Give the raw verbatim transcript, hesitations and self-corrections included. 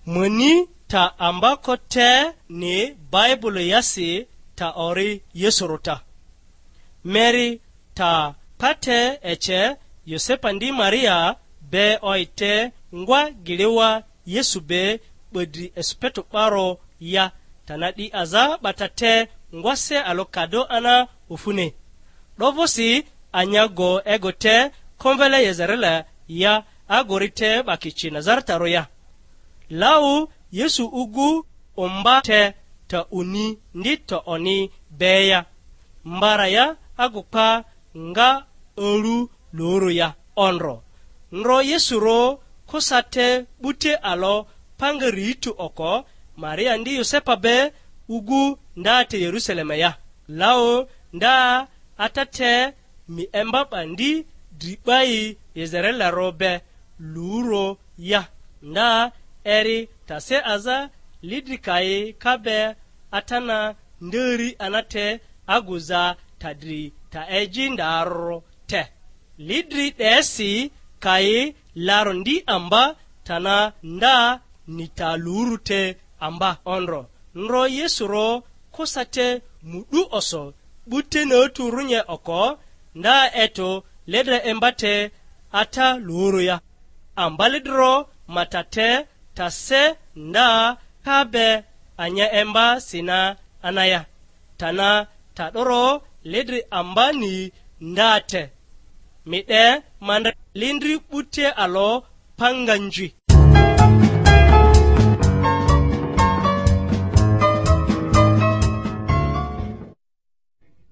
Muni ta ambako te ni Baibulu yasi ta ori Yesurᴜ ta. Meri ta pa te ece Yosepa ndi Maria be oi te ngwa giliwa Yesu be 'ba dri esipeto 'baro ya, ta na 'di aza 'ba ta te ngwase alo kado ana ofuni. 'Dovᴜsi anyago ego te komvele Yezerela ya, agori te 'ba kici Nazaratarᴜ ya. Lau Yesu ugu omba te ta uni ndi ta oni be ya. Mbara ya agu pa nga olu luru ya ondro. Ndro Yesu ro kusa te 'bute alo panga riitu oko, Maria ndi Yosepa be ugu nda te Yerusalema ya. Lau nda ata te mi emba 'ba ndi dri 'bai Yezerela ro be luro ya. Nda eri ta se aza lidri kayi ka be atana nderi anate aguza ta dri ta eji ndarro te. Lidri 'desi kayi laro ndi amba tana nda nita luru te amba ondro. Ndro Yesu ro kusa te mu'du oso 'bute natu runye oko, nda eto ledra emba te ata luru ya. Ambali dro ma ta te ta se nda ka be anya emba sina anaya. Tana ta 'doro ledri ambani nda te. Mi 'de ma ndre lindri 'bute alo panganji.